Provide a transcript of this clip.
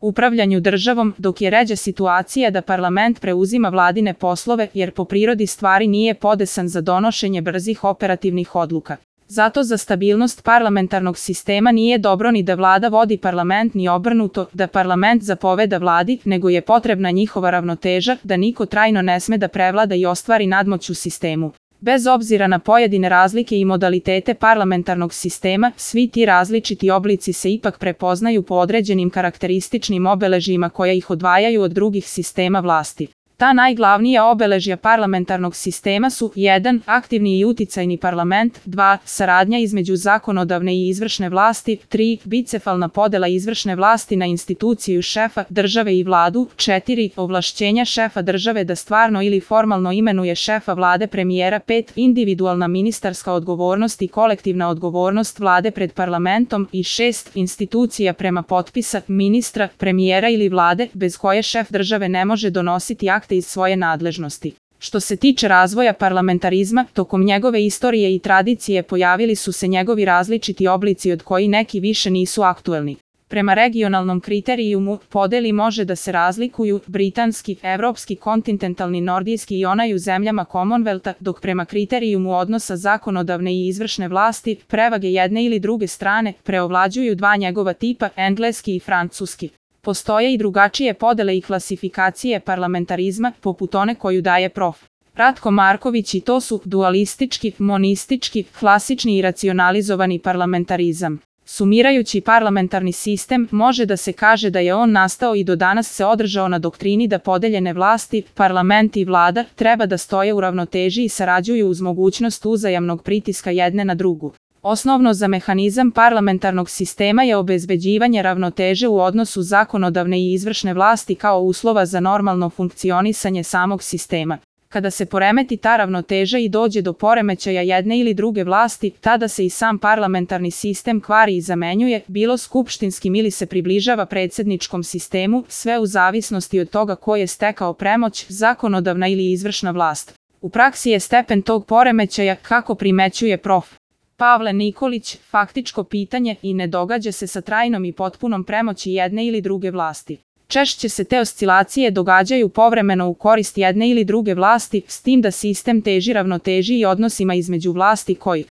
upravljanju državom, dok je ređa situacija da parlament preuzima vladine poslove jer po prirodi stvari nije podesan za donošenje brzih operativnih odluka. Zato za stabilnost parlamentarnog sistema nije dobro ni da vlada vodi parlament ni obrnuto, da parlament zapoveda vladi, nego je potrebna njihova ravnoteža, da niko trajno ne sme da prevlada i ostvari nadmoć u sistemu. Bez obzira na pojedine razlike i modalitete parlamentarnog sistema, svi ti različiti oblici se ipak prepoznaju po određenim karakterističnim obeležjima koja ih odvajaju od drugih sistema vlasti. Ta najglavnija obeležja parlamentarnog sistema su 1. Aktivni i uticajni parlament, 2. Saradnja između zakonodavne i izvršne vlasti, 3. Bicefalna podela izvršne vlasti na instituciju šefa države i vladu, 4. Ovlašćenja šefa države da stvarno ili formalno imenuje šefa vlade premijera, 5. Individualna ministarska odgovornost i kolektivna odgovornost vlade pred parlamentom i 6. Institucija prema potpisa ministra, premijera ili vlade, bez koje šef države ne može donositi akte iz svoje nadležnosti. Što se tiče razvoja parlamentarizma, tokom njegove istorije i tradicije pojavili su se njegovi različiti oblici od koji neki više nisu aktuelni. Prema regionalnom kriterijumu, podeli može da se razlikuju britanski, evropski, kontinentalni, nordijski i onaj u zemljama Commonwealtha, dok prema kriterijumu odnosa zakonodavne i izvršne vlasti, prevage jedne ili druge strane, preovlađuju dva njegova tipa, engleski i francuski. Postoje i drugačije podele i klasifikacije parlamentarizma, poput one koju daje prof. Ratko Marković, i to su dualistički, monistički, klasični i racionalizovani parlamentarizam. Sumirajući parlamentarni sistem, može da se kaže da je on nastao i do danas se održao na doktrini da podeljene vlasti, parlament i vlada, treba da stoje u ravnoteži i sarađuju uz mogućnost uzajamnog pritiska jedne na drugu. Osnovno za mehanizam parlamentarnog sistema je obezbeđivanje ravnoteže u odnosu zakonodavne i izvršne vlasti kao uslova za normalno funkcionisanje samog sistema. Kada se poremeti ta ravnoteža i dođe do poremećaja jedne ili druge vlasti, tada se i sam parlamentarni sistem kvari i zamenjuje, bilo skupštinskim ili se približava predsjedničkom sistemu, sve u zavisnosti od toga ko je stekao premoć, zakonodavna ili izvršna vlast. U praksi je stepen tog poremećaja, kako primećuje prof. Pavle Nikolić, faktičko pitanje i ne događa se sa trajnom i potpunom premoći jedne ili druge vlasti. Češće se te oscilacije događaju povremeno u korist jedne ili druge vlasti, s tim da sistem teži ravnoteži i odnosima između vlasti koji